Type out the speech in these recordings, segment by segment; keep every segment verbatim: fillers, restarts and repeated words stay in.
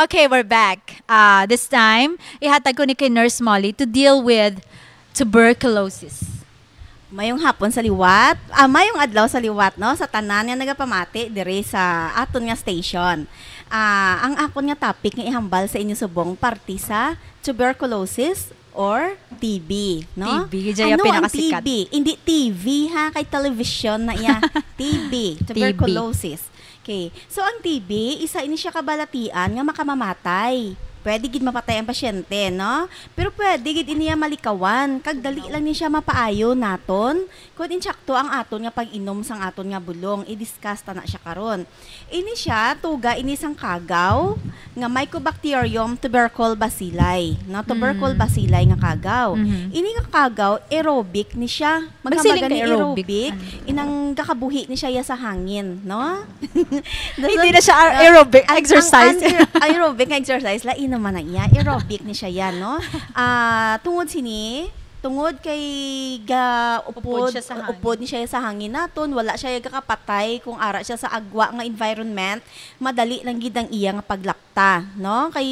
Okay, we're back. Uh, this time, ihatag ko ni kay Nurse Molly to deal with tuberculosis. Mayong hapon sa liwat. Ah, mayong adlaw sa liwat, no? Sa tanan nga nagapamati diri sa aton nga station. Ah, ang akon nga topic nga ihambal sa inyo subong parte sa tuberculosis or T B, no? T B, yun yung pinakasikat. Ano ang T B? Hindi T V, ha, kay television na iya. T B, tuberculosis. Okay. So, ang T B, isa ini siya kabalatian nga makamamatay. Pwede gid mapatay ang pasyente, no? Pero pwede gid ini iya malikawan, kag dali lang ni siya mapaayo naton, kung insakto ang aton nga pag-inom sang aton nga bulong. I-discuss ta na siya karon. Ini siya, tuga ini sang kagaw nga Mycobacterium tubercle bacilli, no? Tubercle Mm. bacilli nga kagaw. Mhm. Ini nga kagaw, aerobic ni siya. Magsiling Maghambagan ka ni aerobic. Aerobic, Ano? inang gakabuhi ni siya ya sa hangin, no? Hindi na siya aer-, Ah, aerobic, ang, ang, exercise. ang aer-, aerobic nga exercise, lain naman na iya. Aerobic ni siya yan, no? Ah, tungod sini, tungod kay ga-, Upod upod, siya sa hangin. upod ni siya sa hangin naton, wala siya gakapatay kung ara siya sa agwa nga environment, madali lang gid ang iya nga paglapta, no? Kay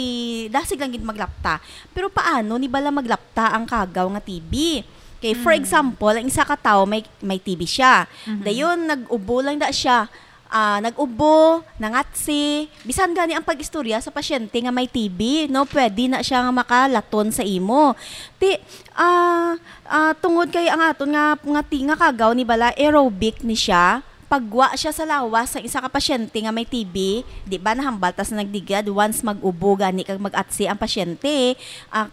dasig lang gid maglapta. Pero paano ni bala maglapta ang kagaw nga T B? Kay, for Mm. example, ang isa ka tawo may, may T B siya. Mhm. Dayon, nag-ubo lang da siya. Ah, nag-ubo, nangatsi. Bisan gani ang pag-istorya sa pasyente nga may T B, no? Pwede na siya nga makalaton sa imo. Ti, ah, ah, tungod kay ang aton nga, nga ti-, nga kagaw ni bala aerobic ni siya, pagwa siya sa lawas sa isa ka pasyente nga may T B, di ba nahambal ta sa nagligad, once mag-ubo gani kag mag-atsi ang pasyente, ah,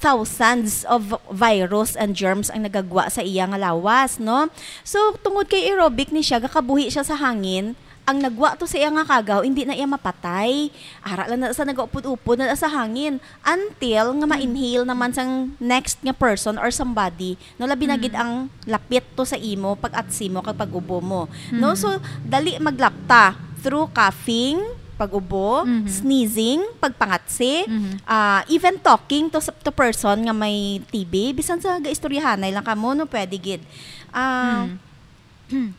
thousands of virus and germs ang nagagwa sa iya nga lawas, no? So, tungod kay aerobic ni siya, gakabuhi siya sa hangin, ang nagwa to sa iya nga kagaw, hindi na iya mapatay. Ara lang na sa nagaupod-upod na sa hangin. Until nga Hmm. ma-inhale naman sang next nga person or somebody, no, labi na gid Hmm. ang lapit to sa imo, pag-atsi mo, kag pag-ubo mo. No? Hmm. So, dali maglapta through coughing, pag-ubo, Mhm. sneezing, pagpangatsi, Mhm. ah, even talking to s-, to person nga may T B, bisan sa gaistoryahanay lang kamo, no, pwede gid. Ah, Hmm.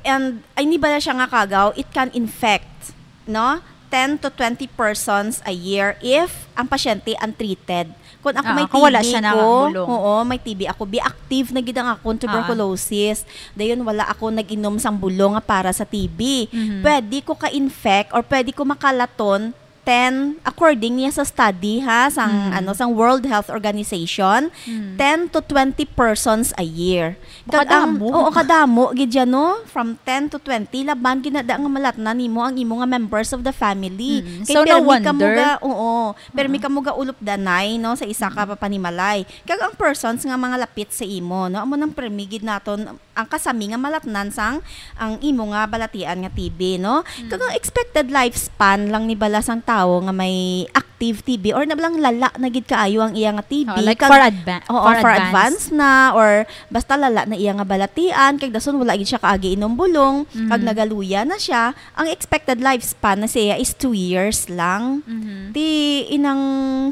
And, ay, ni bala siya nga kagaw, it can infect, no? Ten to twenty persons a year if ang pasyente untreated. Kung ako Ah, may kung wala T B siya ko, nakabulong. oo, may T B ako, be active na gid ang akong Ah. tuberculosis. Dayon, wala ako nag-inom sang bulong nga para sa T B. Mhm. Pwede ko ka-infect or pwede ko makalaton ten, according niya sa study, ha, sang, Mm. ano, sang World Health Organization, Mm. ten to twenty persons a year. Kag ang, Kadamo. oo, kadamo gid yan, no? From ten to twenty, laban gid na da nga malatnan nimo ang imo nga members of the family. Mm. Kay So, no permi kamo wonder. ga, oo, permi Ah. kamo ga ulupdanay, no, sa isa ka Mm. panimalay. Kag ang persons nga mga lapit sa imo, no, amo nang permi gid naton ang kasami nga malatnan sang ang imo nga balatian nga T B, no? Mm. Kag ang expected lifespan lang ni bala sang tawo nga may active T B or na lang lala na gid kaayo ang iya nga T B. Oh, like, Kag, far adva-, oo, far far advance. advance na, or basta lala na iya nga balatian, kag dason wala gid siya kaagi inom bulong, kag Mm. nagaluya na siya, ang expected lifespan na siya is two years lang. Mhm. Ti inang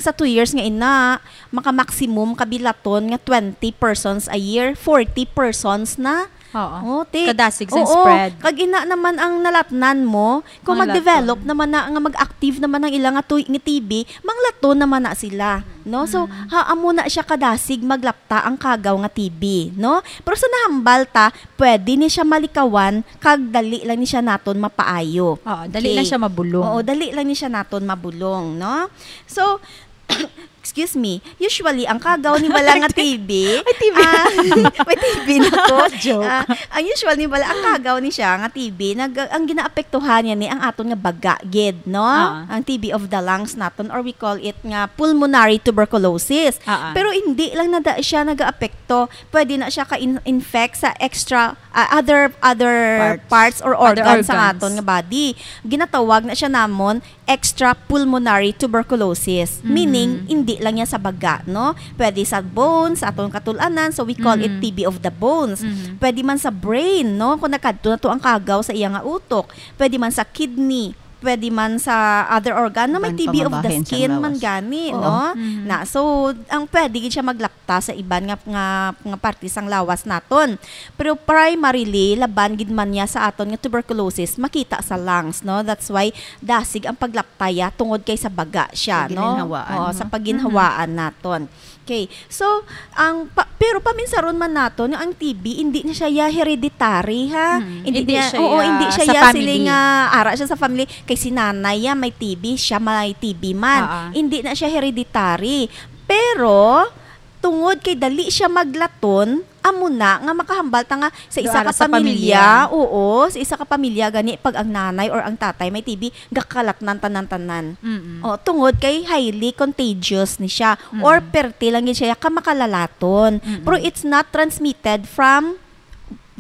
sa two years nga ina, maka-maximum kabilaton nga twenty persons a year, forty persons na. Oo. Oh, ti-, Kadasig sa oo, spread. Kag ina naman ang nalatnan mo, kung Manglaton. mag-develop naman na, nga mag-active naman ang ilang nga tuy-, nga T B, manglaton naman na sila, no? So, Mm. ha, amo na siya kadasig maglapta ang kagaw nga T B, no? Pero sa nahambal ta, pwede ni siya malikawan, kag dali lang ni siya naton mapaayo. Oo, dali Okay. lang siya mabulong. Oo, dali lang ni siya naton mabulong, no? So, excuse me, usually, ang kagaw ni bala nga T B, May T B. ah, may T B na ko. Joke. Ah, ang usual ni bala, ang kagaw ni siya nga T B, nag-, ang ginaapektuhan niya ni ang aton nga baga gid, no? Ah. Ang T B of the lungs naton, or we call it nga pulmonary tuberculosis. Ah, ah. Pero hindi lang na da siya nagaapekto, pwede na siya ka-in-, infect sa extra, ah, other, other Parts. parts or Other organs sa organs. aton nga body. Ginatawag na siya namon extrapulmonary tuberculosis, Mhm. meaning, hindi lang yan sa baga, no? Pwede sa bones, sa atong katul-anan, so we call it Mhm. T B of the bones. Mhm. Pwede man sa brain, no? Kung nakadto na to ang kagaw sa iya nga utok. Pwede man sa kidney, pwede man sa other organ, no? May Organ T B of the pambabahin sang skin man lawas. Gani, Oo. no? Mhm. Na, so, ang pwede gid siya maglapta sa iban nga, nga, nga parte sang lawas naton. Pero primarily, laban gid man niya sa aton nga tuberculosis, makita sa lungs, no? That's why dasig ang paglaptaya tungod kay sa baga siya, Sa no? ginhinhawaan, Oo, no? sa pagginhawaan naton. Okay. So, ang pa, pero paminsaron man naton nga ang T B, hindi na siya ya hereditary, ha? Mm, Hindi hindi niya, siya oo, ya hindi siya sa ya family. Sila nga ara siya sa family. Kay si nanay ya may T B, siya may T B man. Ah, ah. Hindi na siya hereditary. Pero, tungod kay dali siya maglaton, amo na nga makahambal ta nga sa isa Doara ka sa pamilya, pamilya. Oo, sa isa ka pamilya gani pag ang nanay or ang tatay may T B, gakalatnan tanan-tanan. Mm-mm. O, tungod kay highly contagious ni siya Mm-mm. or perti lang gid siya ka makalalaton. Mm-mm. Pero it's not transmitted from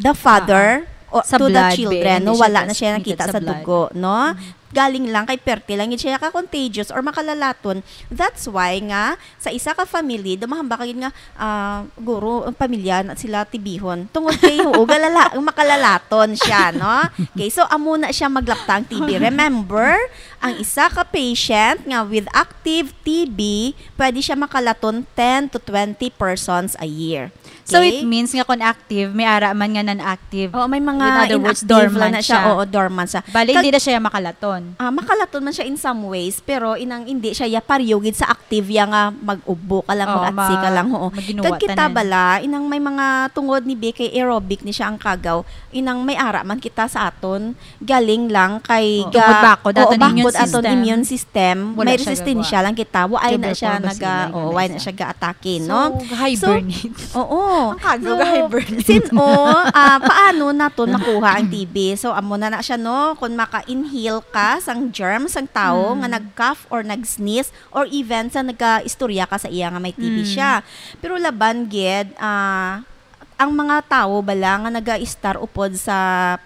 the father Ah, ah. o Sa to the blood, children, be. No, Hindi siya wala na siya transmitted nakita sa sa blood. Dugo, no? Mm-hmm. Galing lang kay perti lang gid siya ka contagious or makalalaton. That's why nga sa isa ka family, dumahamba ka gid nga, ah, guro, ang pamilya na sila T B-hon. Tungod kay, oo, galala, makalalaton siya, no? Okay, so amo na siya maglapta ang T B. Remember, ang isa ka patient nga with active T B, pwede siya makalaton ten to twenty persons a year. So, Okay? It means nga kung active, may ara man nga non-active. Oo, may mga In other words, inactive lang dormant na siya. Siya. Oo, dormant siya. Bali, Kag- hindi na siya makalaton. Ah, makalaton man siya in some ways, pero inang hindi siya ya pareho gid sa active ya nga mag-ubo ka lang, Oo, mag-atsi ka ma-, lang, oo. Maginuwa Kag kita tanan. Bala, inang may mga tungod ni B K aerobic ni siya ang kagaw, inang may ara man kita sa aton, galing lang kay Oo. ga-, Tungod bakod oo, aton immune bakod aton system. Immune system, Wala may siya resistensya gagawa. Lang kita, wa ay na siya Tuberculosis naga-, lang, oo, wa ay na siya. Siya ga-atake, So, no? Hibernate. So, oo. Ang kagaw So, ga-hibernate. Sin-, oh, ah, paano naton makuha ang T B? So, amo na na siya, no? Kung maka-inhale ka sang germ sang tawo Mm. nga nag-cough or nag-sneeze or even sa nagka-istorya ka sa iya nga may T B Mm. siya. Pero laban gid, ah, ang mga tawo bala nga nagaistar upod sa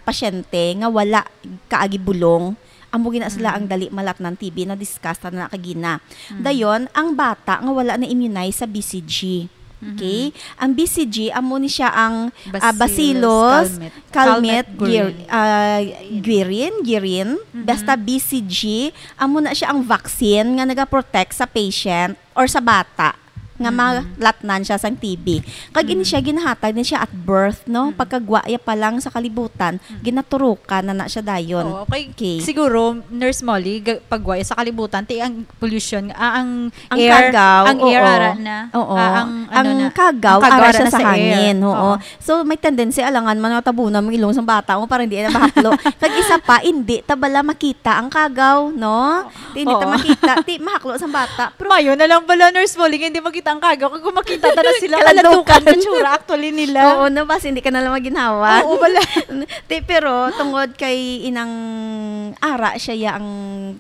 pasyente nga wala kaagi bulong, amo gina sila Mm. ang dali malatnan T B, na-discuss ta na kagina. Mm. Dayon, ang bata nga wala na-immunize sa B C G. Okay? Mhm. Ang B C G, amo ni siya ang, ah, Bacillus Bacillus, calmette. Calmette, Calmette gir-, guerin. Ah, guerin, girin. Mhm. Basta B C G, amo na siya ang vaccine nga nagaprotect sa patient or sa bata nga Mm. malatnan siya sang T B. Kag ini Mm. siya ginahatag ni siya at birth, no? Mm. Pagkagwa ya pa lang sa kalibutan, Mm. ginaturukan na na siya dayon. Oo, okay. Okay. Siguro, Nurse Molly, ga-, pagwa ya sa kalibutan, ti ang pollution, ah, ang Ang air, kagaw, ang air oo. Ara na, Oo. Ah, ang, ano Ang na, kagaw, ang kagaw ara ara siya na sa sa air. Hangin, oo. Oo. So, may tendency, alangan man nga tabunan mo ilong sang bata mo para hindi na mahaklo. Kag isa pa, hindi ta bala makita ang kagaw, no? Ti, hindi ta Oo. Makita. Ti, mahaklo sang bata. Pero mayo na lang bala, Nurse Molly, nga hindi makita ang kagaw. Kag kung makita ta na sila, Kaladlukan. Kaladlukan ang tsura actually nila. Oo, no, basi hindi ka na lang maginhawa. Oo, bala. Ti, pero tungod kay inang ara siya ya ang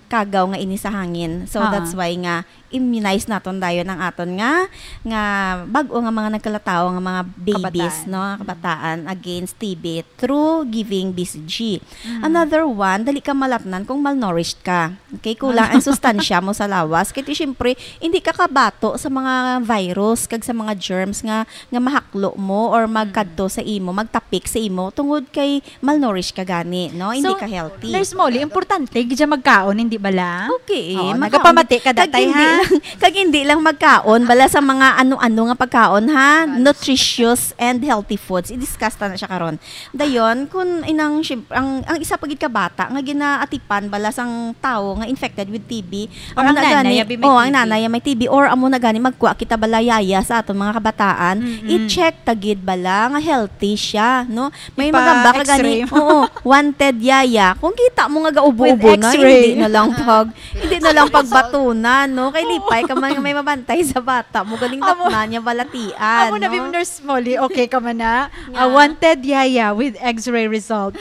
kagaw nga ini sa hangin. So, Ah. That's why nga immunize naton dayon ang aton nga, nga bag-o nga mga nagkalatawo nga mga babies, Kabataan. No, kabataan against T B through giving B C G. Mm. Another one, dali ka malatnan kung malnourished ka. Okay, kulang ang sustansya mo sa lawas. Kay ti, syempre, hindi ka kabato sa mga virus kag sa mga germs nga, nga mahaklo mo or magkadto Mm. sa imo, magtapik sa imo tungod kay malnourished ka gani, no? Hindi So, ka healthy. Nurse Molly, importante gid siya magkaon, hindi bala? Okay, Oo, makaon nagapamati gid. Ka Kag datay, hindi ha? Lang, kag hindi lang magkaon, bala sa mga ano-ano nga pagkaon, ha? Nutritious and healthy foods. I-discuss ta na siya karon. Dayon, kun inang, syem-, ang, ang isa pa gid ka bata nga ginaatipan bala sang tawo nga infected with T B, Or amo ang na nanay, gani, abi may oh, ang T B. Nanay may T B, or amo na gani magkuha kita bala yaya sa aton mga kabataan, Mm-mm. I-check ta gid bala nga healthy siya, no? May Ipa magamba ka gani, X-ray mo. Oo, wanted yaya. Kung kita mo nga gaubo-ubo With na, X-ray. Hindi na lang pag, hindi na lang pagbatunan, no? Kay lipay ka man nga may mabantay sa bata mo. Galing Amo, tapnan niya balatian, amo na, no? Bim Nurse Molly, okay ka man na? Nga. A wanted yaya with X-ray result.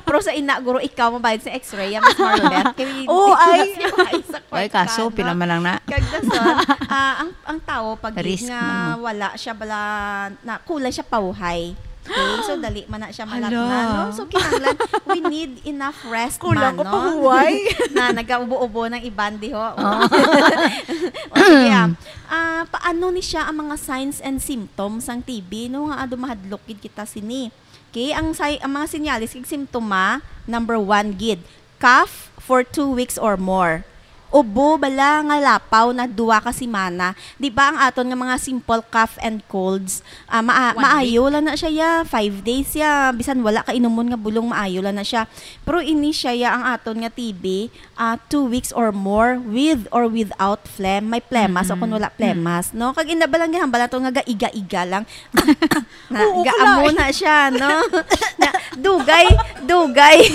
Pero sa ina, guro, ikaw mabayad sa X-ray, ya, Miss Maribeth. Kay Oo, hindi ay. Siya ay sa Ay, kaso, kwarta, pila no? Man lang na. Kag dason, ah, ang, ang tao, pag Risk nga man mo. Wala siya bala, na, kulang siya pauhay. Okay, so dali man na siya malat Hala. Na, no? So, kinahanglan, we need enough rest Kulang man, ko no? Pahuway. Na nagaubo-ubo ng iban, di ho? Oh. O, sige, ah. Ah, paano ni siya ang mga signs and symptoms sang T B, no? Nga ado mahadlok gid kita sini. Okay, ang say-, ang mga senyales kag simptoma, number one gid, Cough for two weeks or more. Ubo bala nga lapaw na duha ka semana. Di ba ang aton nga mga simple cough and colds, ah, maa-, One week. maayo lang na siya, ya, five days, ya, bisan wala ka inumon nga bulong, maayo lang na siya. Pero ini siya, ya, ang aton nga T B, ah, two weeks or more, with or without phlegm. May phlemas o kung Mm-mm. wala Mm. phlemas, no? Kag ina ba lang ginhambal nato nga gaiga-iga lang. Na, Oo, gaamo kalay. na siya, no? Na, dugay, dugay,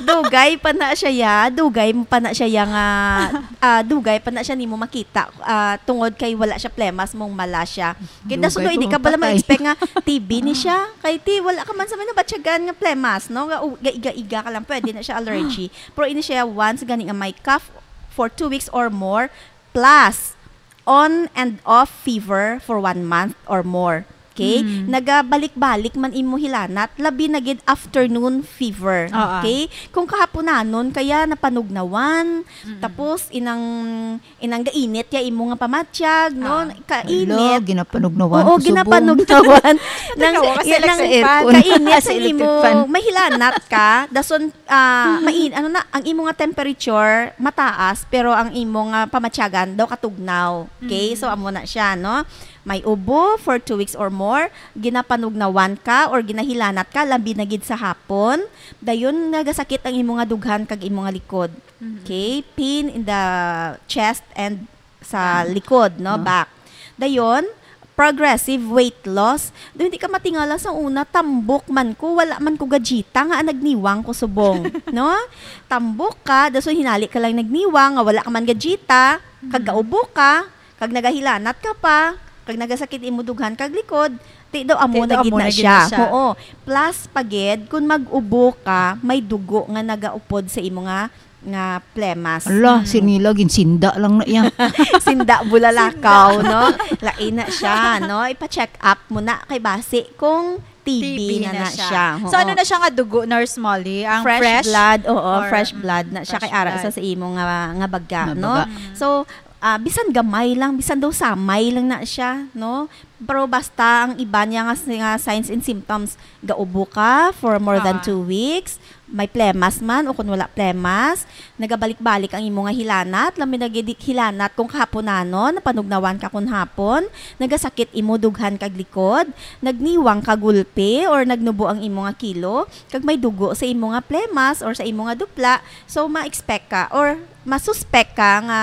dugay pa na siya, ya. Dugay pa na siya, ya, nga, ah, dugay pa na siya nimo makita, ah, tungod kay wala siya phlemas, mong mala siya. Kay Dugay dason, hindi ko ka pala mapatay. ma-expect nga T B ni siya. Kay ti, wala ka man sa may nabatyagan nga phlemas, no? Nga, u-, ga-iga-iga ka lang, pwede na siya allergy. Pero ini siya, once gani nga may cough for two weeks or more, plus on and off fever for one month or more. Okay? Mm. Nagabalik-balik man imo hilanat, labi na gid afternoon fever. Oo. Okay? Kung kahaponanon kaya napanugnawan, Mm-mm. tapos inang, inang gainit ya imo nga pamatyag, no? Ah. Kainit. Hala, ginapanugnawan Oo, ko subong. ginapanugnawan. Nang, Tatawa ka sa nang electric fan. kainit Ah, sa sa electric imo, fan. may hilanat ka, dason, ah, Mm-hmm. main-, ano na, ang imo nga temperature mataas, pero ang imo nga pamatyagan daw katugnaw. Okay? Mm. So, amo na siya, no? May ubo for two weeks or more, ginapanugnawan ka or ginahilanat ka, labi na gid sa hapon. Dayon, nagasakit ang imo nga dughan kag imo nga likod. Mhm. Okay? Pain in the chest and sa Back. likod, no? Oh. Back. Dayon, progressive weight loss. Dayon, di ka matingala sa una, tambok man ko, wala man ko gajita nga nagniwang ko subong, no? Tambok ka, dason hinali ka lang nagniwang, nga wala ka man gajita, kag Mhm. gaubo ka, kag nagahilanat ka pa, kag nagasakit imo dughan kag likod, ti daw amo Ti na daw gid amo na na gid siya. na siya. Oo. Plus pa gid, kung mag-ubo ka, may dugo nga nagaupod sa imo nga, nga plemas. Ala, Mm. sinila, ginsinda lang na iya. Sinda bulalakaw, Sinda. no? Lain na siya, no? Ipa-check up mo na kay basi kung T B T B na na na siya. siya. So, Oo. ano na siya nga dugo, Nurse Molly? Ang Fresh fresh? blood, oo, Or, fresh mm, blood na siya fresh kay ara blood. sa, sa imo nga, nga baga, Nga no? baga. Mm. So, ah, bisan gamay lang, bisan daw samay lang na siya, no? Pero basta ang iba niya nga, nga signs and symptoms, gaubo ka for more than Ah. two weeks, may plemas man o kung wala plemas, nagabalik-balik ang imo nga hilanat, labi na gid hilanat kung kahaponanon, napanugnawan ka kung hapon, nagasakit imo dughan kag likod, nagniwang ka gulpi or nagnubo ang imo nga kilo, kag may dugo sa imo nga plemas or sa imo nga dupla, so ma-expect ka or masuspek ka nga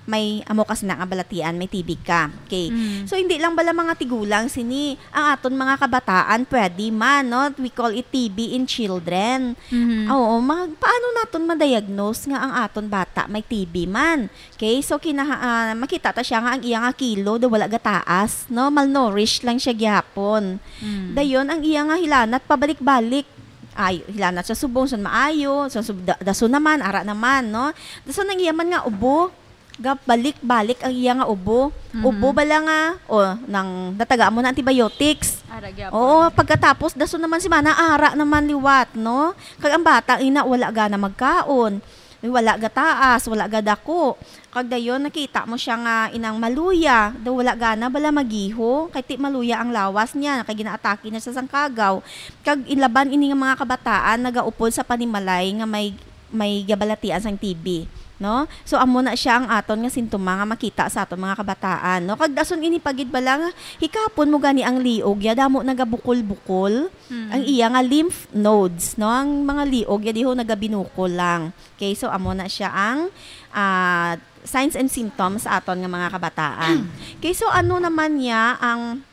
may amo ka sina nga balatian, may T B ka. Okay. Mm. So, hindi lang bala mga tigulang sini, ang aton mga kabataan, pwede man, no? We call it T B in children. Mhm. Oo, ma-, paano naton ma-diagnose nga ang aton bata may T B man? Okay, so kinaha-, ah, makita ta siya nga ang iya nga kilo daw wala gataas, no? Malnourished lang siya gihapon. Mm. Dayon, ang iya nga hilanat pabalik-balik. Ay, hilanat siya subong, sun maayo, sun sub-, da-, dason naman, ara naman, no? Dason ang iya man nga ubo, gabalik-balik ang iya nga ubo. Mhm. Ubo bala nga, o, nang natagaan mo na antibiotics. Ara gyapon. Oo, pagkatapos, dason naman si mana, ara naman liwat, no? Kag ang bata, ina, wala gana magkaon. Wala gataas, wala gadako. Kag dayon, nakita mo siya nga inang maluya. Daw wala gana bala magiho. Kay ti maluya ang lawas niya, kay ginaatake na siya sang kagaw. Kag ilaban ini nga mga kabataan, nagaupod sa panimalay nga may may gabalatian sang T B, no? So, amo na siya ang aton nga sintoma nga makita sa aton mga kabataan, no? Kag dason ini pa gid bala nga hikapon mo gani ang liog ya, damo nagabukol-bukol Mm. ang iya nga lymph nodes, no? Ang mga liog ya diho nagabinukol lang. Okay, so amo na siya ang, ah, signs and symptoms sa aton nga mga kabataan. Okay, so ano naman niya ang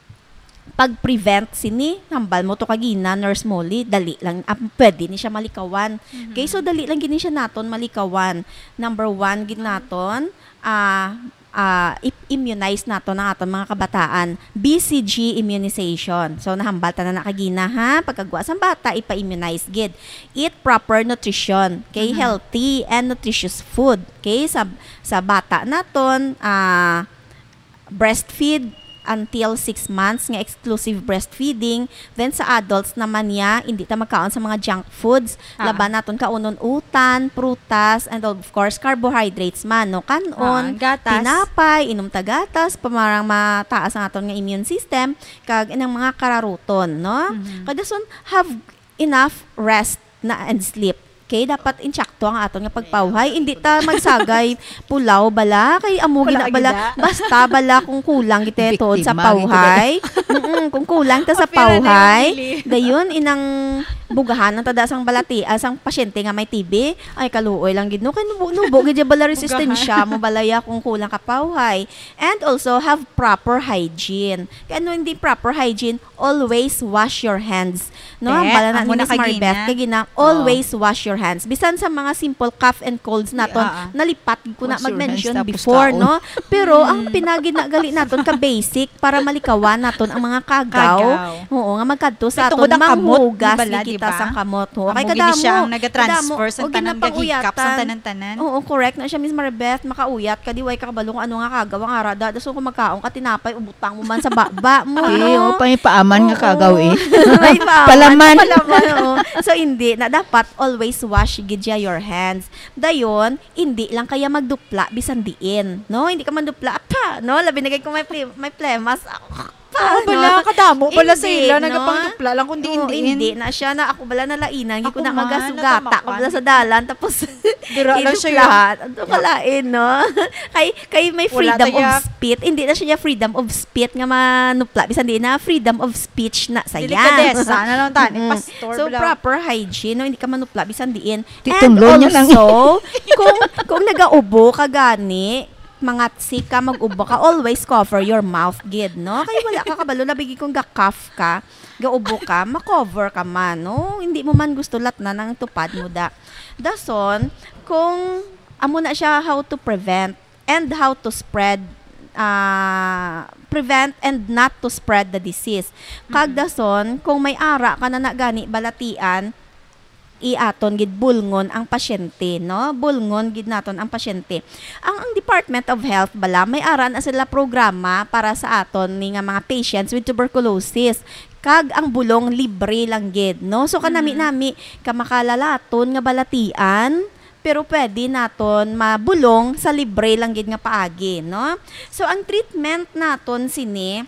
pag-prevent sini, hambal mo to kagina, Nurse Molly, dali lang, ah, pwede ni siya malikawan. Mhm. Okay, so dali lang gini siya naton malikawan. Number one gid naton, ah, ah, i-, immunize naton ang aton mga kabataan. B C G immunization. So, nahambal ta na na kagina, ha? Pagkagwa sang bata, ipa-immunize gid. Eat proper nutrition. Okay, Mhm. healthy and nutritious food. Okay, sa, sa bata naton, ah, breastfeed until six months nga exclusive breastfeeding. Then sa adults naman niya, hindi ta magkaon sa mga junk foods. Ah. Laban naton kaunon utan, prutas, and of course, carbohydrates man, no? Kan-on, Ah, gatas. tinapay, inom ta gatas, pamarang mataas ang aton nga immune system, kag inang mga kararuton, no? Mhm. Kag dason, have enough rest na and sleep. Okay, dapat insakto ang aton nga pagpawhay. Hindi ta magsagay pulaw bala, kay amo Wala gina bala, gina. Basta bala kung kulang gid ta tuod sa Biktima gid pawhay. Mm, kung kulang ta sa Apil na pawhay, yung pili. Dayon inang bugahan ang tada sang balati, ah, sang pasyente nga may T B. Ay, kaluoy lang gid, no? Kay nubo-nubo gid ya bala resistensya mo balaya kung kulang ka pawhay. And also have proper hygiene. Kay ano hindi proper hygiene? Always wash your hands. No, ang Eh, bala na amo ni na Miss Maribeth kagina. Kagina, Oh. always wash your hands. Bisan sa mga simple cough and colds naton, ah, ah. Nalipat ko na Wash your mag-mention hands, tapos before, kaon. No? Pero ang pinagid na gali naton ka basic para malikawan naton ang mga kagaw. Kagaw. Oo, nga magkadto sa Kay aton tungod ang kamot, manghugas di bala, ni kita di ba? Sang kamot. Oo, kay Amo gini kadamo, siya ang nagatransfer kadamo. Sang O, tanan nga ginapanguyapan. Gihikap sang tanan-tanan. Oo, correct na siya, Miss Maribeth. Makauya ka, di way ka kabalo kung ano nga kagaw ang ara da. Dason kung magkaon ka tinapay, ubutang mo man sa baba mo, Eh, no? O, pay paaman nga Oo. Kagaw, eh. May paaman. Palaman. Palaman, oo. So, hindi na dapat always wash gid siya your hands. Dayon, hindi lang kaya magdupla bisan diin, no? Hindi ka man dupla, pa, no? Labi na gid kung may ple-, may plemas. Pa, Oh, bala, no? Kadamo bala sa Hindi, ila, no? Nagapangdupla lang kung Oo, diin-diin. Hindi na siya na ako bala nalainan, gid ko Ako na man, magasugata ko natamakan. Bala sa dalan, tapos Dira lang siya idupla. Ano ka lain, no? Kay, kay may Wala freedom of taya. Speech. Hindi na siya freedom of speech nga manupla. Bisan di na freedom of speech na sa Delikadesa na lang tani, Mm-mm. Pastor, So, bala. Proper hygiene, no? Hindi ka manupla. Bisan diin. Di And tunlo niya lang. Also, kung, kung nagaubo ka gani, mangatsi ka, mag-ubo ka, always cover your mouth, gid, no? Kay wala ka kabalo, labi gid kung ga-cough ka, gaubo ka, ma-cover ka man, no? Hindi mo man gusto latnan ang tupad mo da. Dason, kung amo na siya, how to prevent and how to spread, ah, prevent and not to spread the disease. Kag Mm-mm. Dason, kung may ara ka na na gani balatian, i-aton gid bulngon ang pasyente, no? Bulngon gid naton ang pasyente. Ang, ang Department of Health bala, may ara na sila programa para sa aton ni nga mga patients with tuberculosis. Kag ang bulong libre lang gid, no? So, Mm. kanami-nami ka makalalaton nga balatian, pero pwede naton mabulong sa libre lang gid nga paagi, no? So, ang treatment naton sini,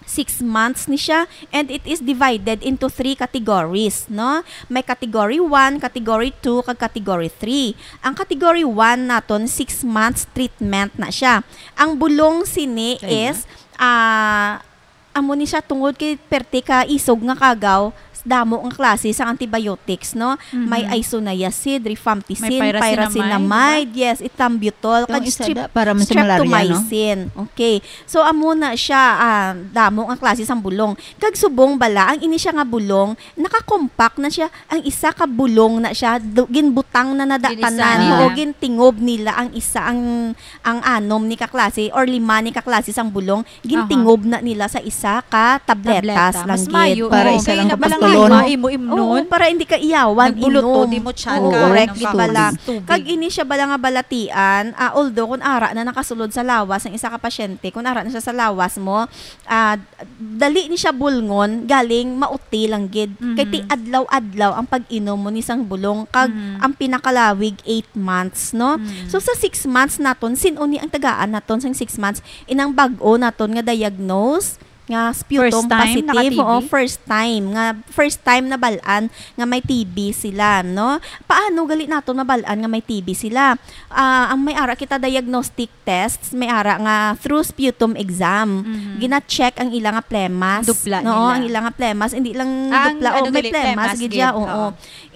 six months ni siya, and it is divided into three categories, no? May category one, category two, kag category three. Ang category one naton, six months treatment na siya. Ang bulong sini Kaya? Is, ah, amo ni siya tungod kay perte ka isog nga kagaw, damo nga klase sang antibiotics, no? Mhm. May isoniazid, rifampicin, May pyrazinamide, pyrazinamide, di ba? Yes, ethambutol, Itong kag isa strep-, da, para man sa malaria, no? Streptomycin. Okay. So, amo na siya, ah, damo nga klase sang bulong. Kag subong bala, ang ini siya nga bulong, nakakompact na siya, ang isa ka bulong na siya, du-, ginbutang na na da Ginisa tanan, nila. Oo, gintingob nila ang isa, ang, ang anom ni ka klase or lima ni ka klase sang bulong, gintingob Aha. na nila sa isa ka tabletas Tableta. Lang Mas gid. Mayo, Para oo. Isa Kaya lang na ka balang pastulon. Lima, imo imnon. Oo, para hindi ka iyawan, Nagbulot to, inom. Di mo tiyan Oo, ka, correct, ano ka, bala. Tubig. Kag ini siya bala nga balatian, ah, although kung ara na nakasulod sa lawas ang isa ka pasyente, kung ara na siya sa lawas mo, ah, dali ni siya bulngon, galing mauti lang gid. Mhm. Kay ti adlaw-adlaw ang pag-inom mo ni sang bulong, kag Mhm. ang pinakalawig, eight months, no? Mhm. So, sa six months naton, sin-o ni ang tagaan naton sang six months? Inang bag-o naton nga diagnose, nga sputum First time positive, naka-T B? Oo, first time, nga first time nabal-an nga may T B sila, no? Paano gali naton mabal-an nga may T B sila? Ah, ang may ara kita diagnostic tests, may ara nga through sputum exam. Mhm. Gina-check ang ila nga plemas. Dupla No, nila. Ang ila nga plemas, hindi lang Ah, ang dupla, ano o may gali, plemas, plemas gid siya, gid, oo. Oo.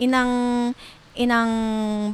Inang Inang,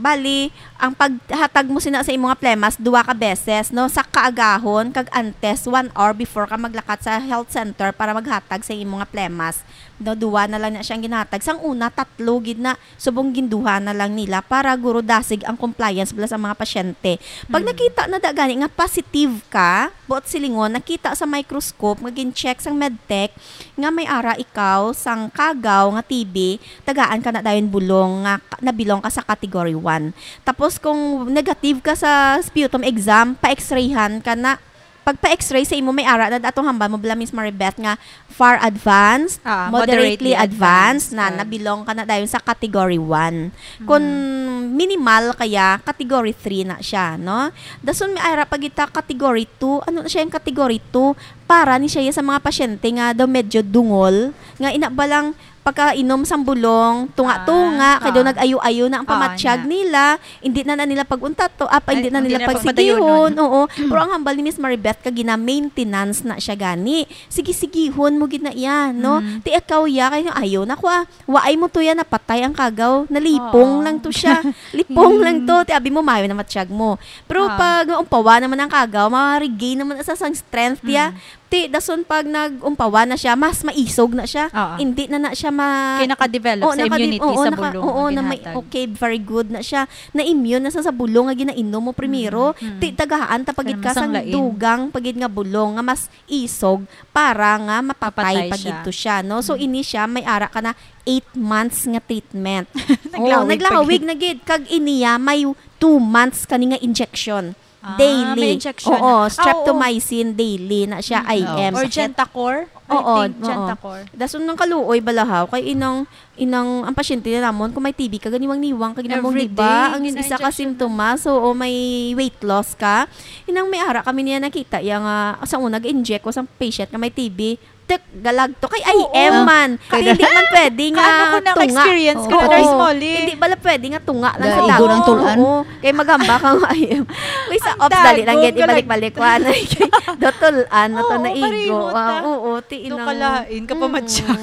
bali, ang paghatag mo sina sa imo nga plemas, duha ka beses, no? Sa kaagahon, kag antes, one hour before ka maglakat sa health center para maghatag sa imo nga plemas. No, duha na lang na siyang ginhatag. Sang una, tatlo gid na, subong ginduha na lang nila para guro dasig ang compliance bala sa mga pasyente. Pag Hmm. nakita na da gani nga positive ka, buot silingon, nakita sa microscope nga gin-check sang medtech nga may ara ikaw sang kagaw nga T B, tagaan ka na dayon bulong nga ka-, nabilong ka sa category one. Tapos kung negative ka sa sputum exam, pa-x-rayhan ka na. Pag pa-x-ray sa imo may ara na atong hambal mo bala, Miss Maribeth, nga far advanced, Ah, moderately moderately advanced, advanced, na ah. Nabilong ka na dayon sa category one. Kung Mm. minimal kaya, category three na siya, no? Dason may ara pa kita category two. Ano na siya yung category two? Para ni siya sa mga pasyente nga daw medyo dungol, nga ina ba lang pagkainom sang bulong, tunga-tunga, Ah, kay daw ah. nag-ayo-ayo na ang Ah, pamatyag na. nila, hindi na, na nila pag-untato, ah, pa, Ay, hindi na hindi nila na pagsigihon, pagpadayonon. oo. Pero ang hambal ni Miss Maribeth, ka gina-maintenance na siya gani. Sige-sigihon mo gid na iya, no? Mm. Ti ikaw ya, kay ayaw na ko, ah. Waay mo to ya, napatay ang kagaw. Nalipong Oo. lang to siya. Lipong lang to. Mm. Ti abi mo, mayo na matyag mo. Pero Ah. pag umpawa naman ang kagaw, ma-regain naman sa sang strength ya. Mm. Ti, dason pag nag-umpawa na siya, mas maisog na siya. Oo. Hindi na na siya ma- Kaya naka-develop Oo, sa nakadi-, immunity oo, sa naka-, bulong oo, na na may, ginhatag. okay, very good na siya. Na-immune na sa, sa bulong nga ginainom mo primero. Mm, mm. Ti, tagaan ta pagid Pero ka sang masanglain. dugang pagid nga bulong nga mas isog para nga mapatay Mapatay pagid siya. to siya, no? So, Mm. ini siya, may ara ka na eight months nga treatment. Oo, Naglawig naglawig pagid. na gid. Kag iniya, may two months kani nga injection. Ah, Daily. may injection Oo, na. Ah, oo. streptomycin daily na siya, Mm. I M. Or Sakit. Gentacor? I Oo, think oo. Gentacor. Dason nang kaluoy balahaw kay inang, inang ang pasyente na namon kung may T B ka, ganiwang-niwang ka ginamon, Every di ba? day, Ang isa ka gina-injection na. simptomas, oo, may weight loss ka. Inang may ara kami niya nakita ya nga sa una ga-inject ko sa patient nga may T B. Tek, galag to kay Oo. I M man. Kay Kay hindi man pwede nga Kaano ko tunga. naka-experience ka, Oo. Nurse Molly? Hindi bala pwede nga tunga lang Dahil sa igo dako. ng tulan. Oo. Kay magamba ka nga I M. Uy, sa Ang ops, dali lang dagon, gid, galag- ibalik-balik ko, ano, kay do tulan na to Oo, na igo. pareho ta. Ah, oo, ti Do inang kalain ka pa Mm. matyag.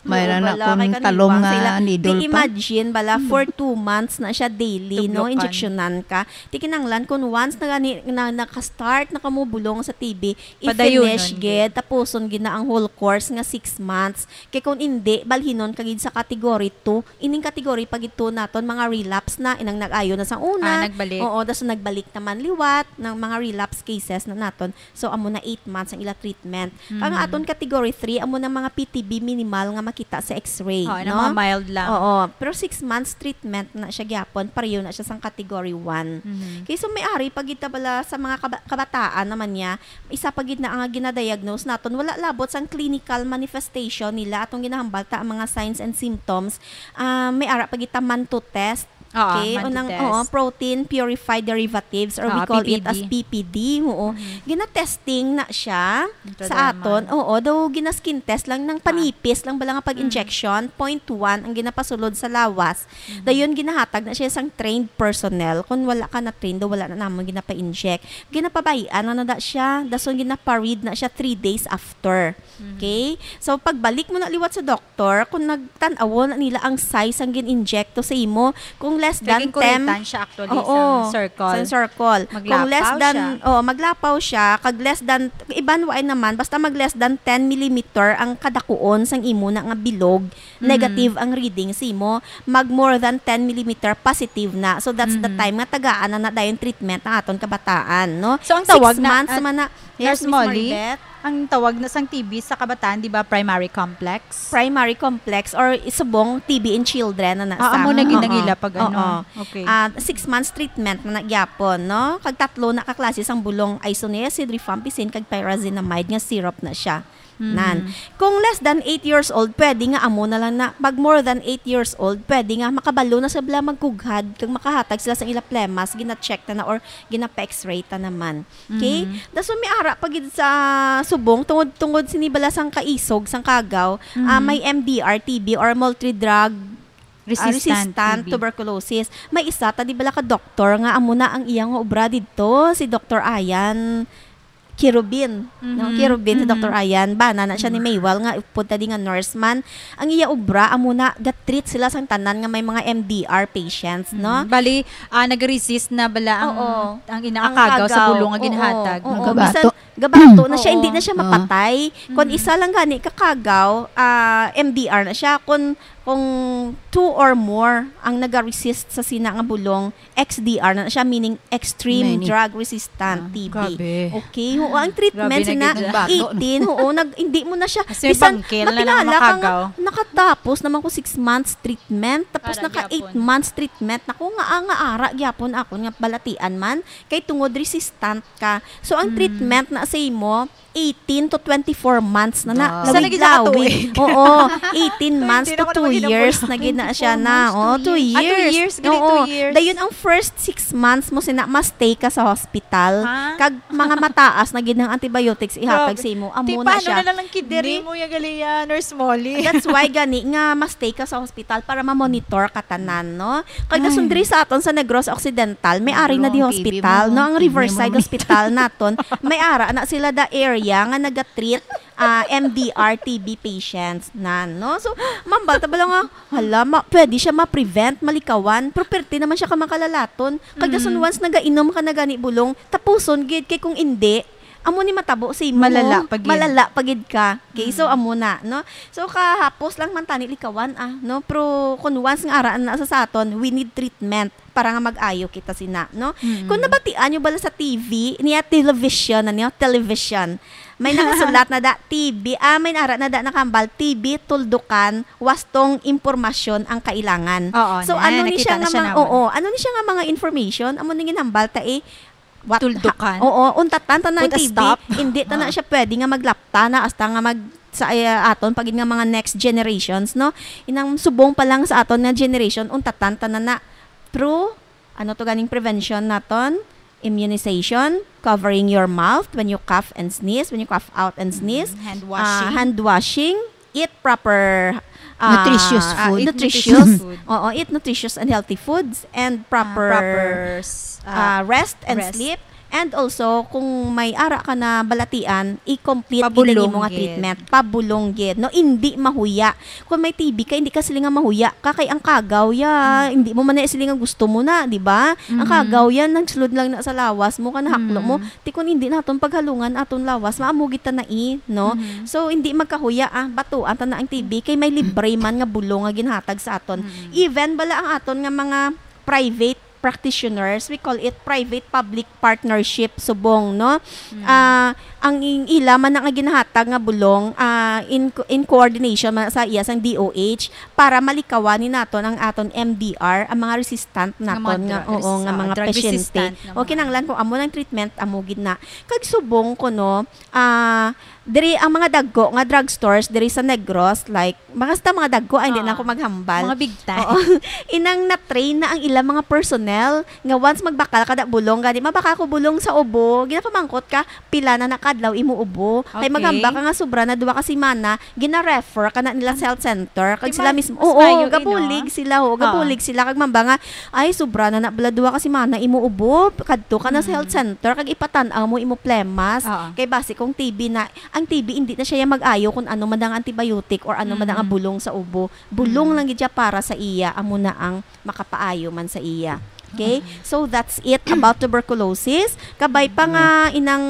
Mayroon Oo, na bala, kung kay talong kaniwang nga sila. needle Di pa. imagine, bala, for two months na siya daily, no? Tublokan. Injeksyonan ka. Ti kinahanglan kung once na gani, na, naka-start na kamo bulong sa T B, Padayonon i-finish gid. gid, tapuson gid na ang whole course nga six months. Kay kung indi, balhinon ka gid sa category two. Ining category pa gid to naton, mga relapse na, inang nag-ayo na sa una. Ah, nagbalik. Oo, tas nagbalik naman liwat ng mga relapse cases na naton. So, amo na eight months ang ila treatment. Kang Mm. aton category three, amo na mga P T B minimal nga makita sa X-ray, Oh, na no? mga mild lang. Oo, pero six months treatment na siya gyapon, pareho na siya sang category one. Mhm. Kay so may ari pa gid ta bala sa mga kaba-, kabataan naman niya, isa pa gid na ang ginadiagnose naton, wala labot sang clinical manifestation nila, atong ginahambal ta ang mga signs and symptoms. Ah, may ara pa gid ta manto test. Oo, Okay, manto unang, test. oo, protein purified derivatives, or we Oo, call it as P P D. P P D, oo. Mhm. Gina-testing na siya Intradermal. sa aton. Oo, daw gina-skin test lang, nang Ah. panipis lang bala nga pag-injection, Mm. point one ang ginapasulod sa lawas. Mhm. Dayon, ginahatag na siya sang trained personnel. Kung wala ka na trained, daw wala na namon ginapa-inject. Ginapabay-an na na da siya, dason ginapa-read na siya three days after. Mhm. Okay? So, pagbalik mo na liwat sa doktor, kung nagtan-aw na nila ang size sang gin-inject to sa imo, kung less Kay than ten, ginkuritan siya actually Oo, sa circle. sa circle. Kung less Maglapaw than, siya. oh, maglapaw siya, kag less than, iban waay naman, basta mag less than ten millimeter ang kadakuon sang imo na nga bilog, Mm. negative ang reading sa imo, mag more than ten millimeter positive na. So, that's the Mm. time nga tagaan na na dayon treatment ang aton kabataan, no? So, ang Six tawag na, months ah, man na. Yes, Nurse Miss Molly, Maribeth? ang tawag na sang T B sa kabataan, di ba, primary complex? Primary complex or subong T B in children na na Ah, sa. amo na gid ang Oo. ila pag ano. Oo. Okay. Ah, six months treatment na na gyapon, no? Kag tatlo na ka klase sang bulong, isoniazid, rifampicin, kag pyrazinamide nga syrup na siya. Mhm. Nan. Kung less than eight years old, pwede nga amo na lang na, pag more than eight years old, pwede nga makabalo na sila magkughad, kag makahatag sila sa ila plemas, gina-check na na or ginapa-X-ray ta naman. Okay? Mhm. Dason may ara pa gid sa subong, tungod, tungod sini bala sang kaisog, sang kagaw, ah, Mhm. may M D R T B or multi-drug, ah, Resistant resistant T B. tuberculosis. May isa ta di bala ka doktor nga amo na ang iya nga obra didto, si Doktor Ayan Kirubin, no? Mhm. Kirubin, si Mhm. Doktor Ayan. Bana na siya ni Mhm. Maywal nga upod ta di nga nurse man. Ang iya obra, amo na, ga-treat sila sang tanan nga may mga M D R patients, no? Mhm. Bali, ah, nag-resist na bala ang, Oo. ang Ang inakagaw sa kagaw. bulong nga Oo, ginhatag. oo. Magabato. Bisan gabato na siya, Oo. hindi na siya Oo. mapatay. Kung Mhm. isa lang gani kakagaw, ah, M D R na siya. Kung, kung two or more ang nag-resist sa sina nga bulong, X D R na siya, meaning extreme Many. drug resistant Ah, T B. grabe. Okay, oo, ang treatment Grabe na sina gid. Nagbato na. eighteen, oo, nag-, hindi mo na siya, Kasi bisan bangkil na lang makilala ka nga makagaw. nakatapos naman ko six months treatment, tapos Ara naka eight gyapon. months treatment. Naku, nga, ah, nga ara gyapon ako nga balatian man, kay tungod resistant ka. So, ang Mm. treatment na sa imo, eighteen to twenty-four months na na. Wow. Isa na gid sa Lawig-lawig. katuig. Oo, eighteen months Twenty na to ako two Years na gid na siya na. Oh, two years. Ah, two years. Gani, Oo. two years. Dayon ang first six months mo sina ma-stay ka sa hospital. Ha? Kag mga mataas na gid ang antibiotics ihatag Grabe. sa imo. Amo Ti, na paano siya. na lang ang kidney Ni- mo, ya gali, ya, Nurse Molly? That's why gani nga ma-stay ka sa hospital para ma-monitor ka tanan, no? Kag Ay. Dason diri sa aton sa Negros Occidental, may ari na Ang di T B hospital, mo, no? Ang kidney mo, Riverside may Hospital naton, may ara na sila da area nga naga-treat ah, M D R T B patients na, no? So, mambal ta bala nga, hala, ma, pwede siya ma-prevent, malikawan, pero perti naman siya ka makalalaton. Kag dason Mm. once nagainom ka na gani bulong, tapuson gid, kay kung indi, amo ni matabo sa imo. Malala pa gid. Malala pa gid ka. Okay, so Mm. amo na, no? So, kahapos lang man tani likawan, ah, no? Pero kung once nga araan na sa, sa aton, we need treatment para nga mag-ayo kita sina, no? Mm. Kung nabatian nyo bala sa T V, niya television, ano, television, may nakasulat na da, T B, ah, may nara na da nakambal, T B, tuldukan, wastong impormasyon ang kailangan. Oo, So, na, ano ni siya nakita nga na siya mga, namon. oo, ano ni siya nga mga information? Amo ni ginhambal ta, eh, what, Tuldukan? ha-, oo, untatan ta na ang Put a T B, stop. hindi ta na Ah. siya pwede nga maglapta na hasta nga mag, sa, eh, aton, pagid nga mga next generations, no? Inang subong pa lang sa aton nga generation, untatan ta na na through, ano to ganing prevention naton? Immunization, covering your mouth when you cough and sneeze, when you cough out and sneeze. Mm, hand Ah, washing. hand washing, eat proper, ah, Nutritious ah, food. eat nutritious. nutritious food. Oo, eat nutritious and healthy foods and Ah, proper, proper s-, ah, ah, rest and rest. sleep. And also, kung may ara ka na balatian, i-complete gid ang Pabulong imo nga gid. treatment. Pabulong gid, no? Indi mahuya. Kung may T B ka, hindi ka sila nga mahuya ka kay ang kagaw ya, Mm. hindi mo man na sila nga gusto mo na, di ba? Ang Mm. kagaw yan, nagsulod lang na sa lawas mo, kanahaklo mo. Mm. Ti kung hindi naton paghalungan aton lawas, maamo gid ta na i, no? Mm. So, hindi magkahuya, ah, batuan ta na ang T B kay may libre man nga bulong nga ginhatag sa aton. Mm. Even bala ang aton nga mga private practitioners, we call it private public partnership subong, no? Mm. Ah, ang ing-, ila man ang ginahatag nga bulong, ah, in co-, in coordination man sa iya sang D O H para malikawan ni naton ang aton M D R, ang mga resistant Nga mga naton nga, drugs, oo, nga ah, mga drug pasyente. resistant nga O, mga kinahanglan kung amo nang treatment, amo gid na. Kag subong ko, no, ah, diri ang mga dagko nga drugstores diri sa Negros, like, mga, basta mga dagko, ay, hindi na Ah. ako maghambal. Mga big time. Oo. Inang na-train na ang ilang mga personnel nga once magbakal ka da bulong, gani, "Mabakal ko bulong sa ubo," ginapamangkot ka, "Pila na na ka adlaw imo ubo?" Kay Okay. maghambal ka nga sobra na duha ka semana, gina-refer ka na nila sa health center. Kag Di sila ba, mismo, mas oo, maayo, eh, no? gabulig sila, ho, Oo. gabulig sila. Kag mamba nga, "Ay, sobra na na bala duha ka semana imo ubo, kadto ka na sa health Mm. center, kag ipatan-aw mo imo plemas." Oo. Kay basi kung T B na, ang T B, hindi na siya mag-ayo kung ano man ang antibiotic or ano man ang Mm. bulong sa ubo. Bulong Mm. lang gid siya para sa iya, amo na ang makapaayo man sa iya. Okay? Mm. So, that's it about tuberculosis. Kabay pa nga Mm. inang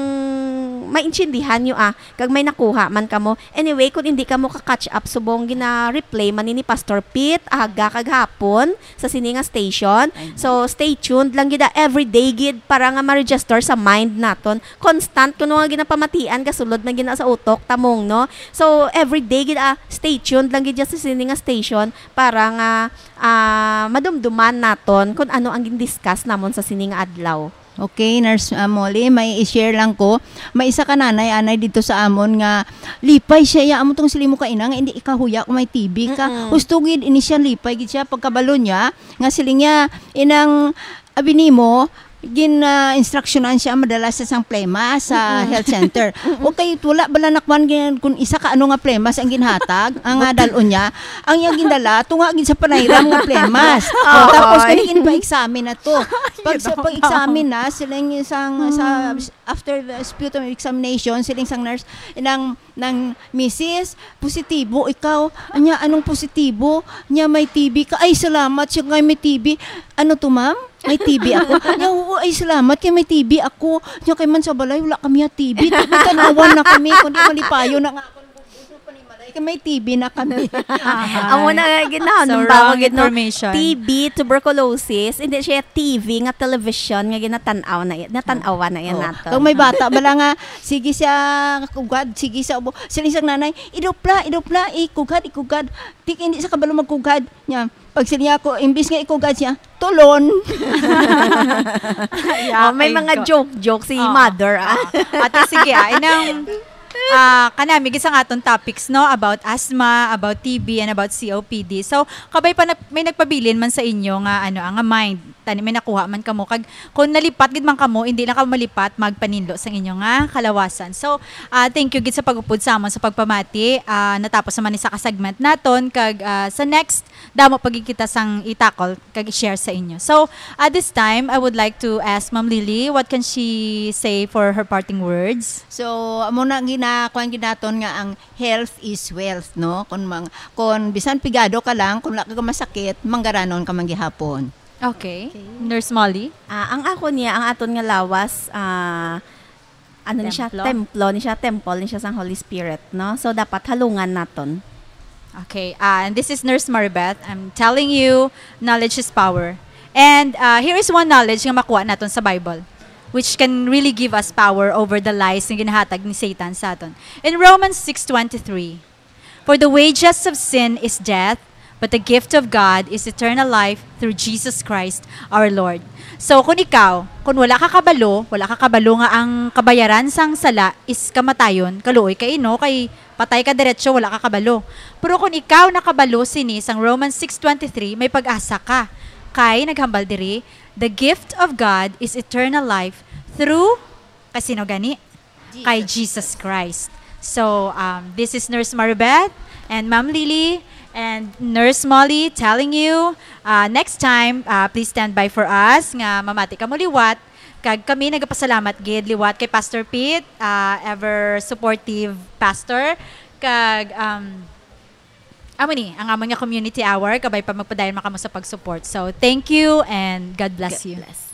maintindihan nyo, ah, kag may nakuha man kamo. Anyway, kung hindi kamo ka-catch up, subong gina-replay man ni Pastor Pete, aga kag hapon, sa sini nga station. Ay, So, stay tuned lang gid, ah, everyday gid para nga ma-register sa mind naton. Constant kuno nga ginapamatian, gasulod na gina sa utok, tamong, no? So, everyday gid, ah, stay tuned lang gid sa sini nga station para nga, ah, madumduman naton kung ano ang gindiscuss namon sa sini nga adlaw. Okay, Nurse, ah, Molly, may i-share lang ko. May isa ka nanay, anay dito sa amon nga lipay siya, ya, amo tong siling mo ka ina nga hindi ikahuya kung may T B ka. Mm-mm. Husto gid ini siya, lipay gid siya pagkabalo niya nga siling niya, "Inang abi nimo, gin, ah, instruksyonan siya madala sa sang plema sa Mm-mm. health center." Mm-mm. Okay, wala bala nakwan gin-, kung isa ka ano nga plemas ang ginhatag, ang, ah, dalon niya. Ang iyang gindala, tunga gid sa panayram nga plemas. Oo. Tapos, kani ginpa-examine na to. Pag sa, Ginoo. pag-examine na, siling sang, sa, Mm. after the sputum examination, siling sang nurse, nang, nang, "Misis, positibo ikaw." Anya, "Anong positibo?" Nya, "May T B ka." "Ay, salamat siya kay may T B." "Ano to, ma'am? May T B ako?" Nya, "Oo, ay, salamat kay may T B ako." Nya, "Kay man sa balay, wala kami ha T B. Di ba tanawan na kami, kundi malipayo na nga ako." Kay may T B na kami. Amo na nga, gid na, So, nung bago wrong gid, no? information. T B, tuberculosis, hindi siya T V nga television nga ginatan-aw na, natan-awan na yan Oh. nato. Kung may bata, bala nga, sige siya, kugad, sige siya, ubo. Sila isang nanay, "Idupla, idupla, ikugad, ikugad." Di, hindi sa kabalo magkugad. Nya, pag sila niya ako, imbis nga ikugad siya, tulon. Oh, may Yakin mga ko. joke-joke si Oo. mother, ah. Oo. Ate, sige, ah, inang Ah, kanami gid sang aton topics, no, about asthma, about T B, and about C O P D. So, kabay pa na, may nagpabilin man sa inyo nga, ano, ah, nga mind, tani may nakuha man kamo, kag kung nalipat gid man kamo, hindi lang kamo malipat, magpaninlo sang inyo nga kalawasan. So, ah, thank you gid sa pag-upod sa amon sa pagpamati. Ah, natapos naman ni sa ka segment naton, kag, ah, sa next, damo pa gid kita sang i-tackle kag i-share sa inyo. So, at this time, I would like to ask Ma'am Lily, what can she say for her parting words? So, amo na gina kuan gid naton nga ang health is wealth, no? Kung mang, kung bisan pigado ka lang, kung wala ka masakit, manggaranon ka man gihapon. Okay. Nurse Molly? Ah, ang ako niya, ang aton nga lawas, ah, ano ni siya, Templo? Templo ni siya, temple ni siya sang Holy Spirit, no? So, dapat halungan naton. Okay. Ah, and this is Nurse Maribeth. I'm telling you, knowledge is power. And, ah, here is one knowledge nga makuha naton sa Bible, which can really give us power over the lies nga ginahatag ni Satan sa aton. In Romans six twenty-three, "For the wages of sin is death, but the gift of God is eternal life through Jesus Christ our Lord." So, kung ikaw, kung wala ka kabalo, wala ka kabalo nga ang kabayaran sang sala is kamatayon, kaluoy kay ino, kay patay ka diretso, wala ka kabalo. Pero kung ikaw nakabalo sini sang Romans six twenty-three, may pag-asa ka. Kay naghambal diri, "The gift of God is eternal life through," kasino gani? Kay Jesus Christ. So, um, this is Nurse Maribeth and Ma'am Lily and Nurse Molly telling you, uh, next time, uh, please stand by for us nga mamati kamo liwat. Kag kami nagapasalamat gid liwat kay Pastor Pete, uh, ever supportive pastor. Kag, um, amo ni ang amon nga community hour, kabay pa magpadayon man kamo sa pag-support. So, thank you and God bless God you. Bless.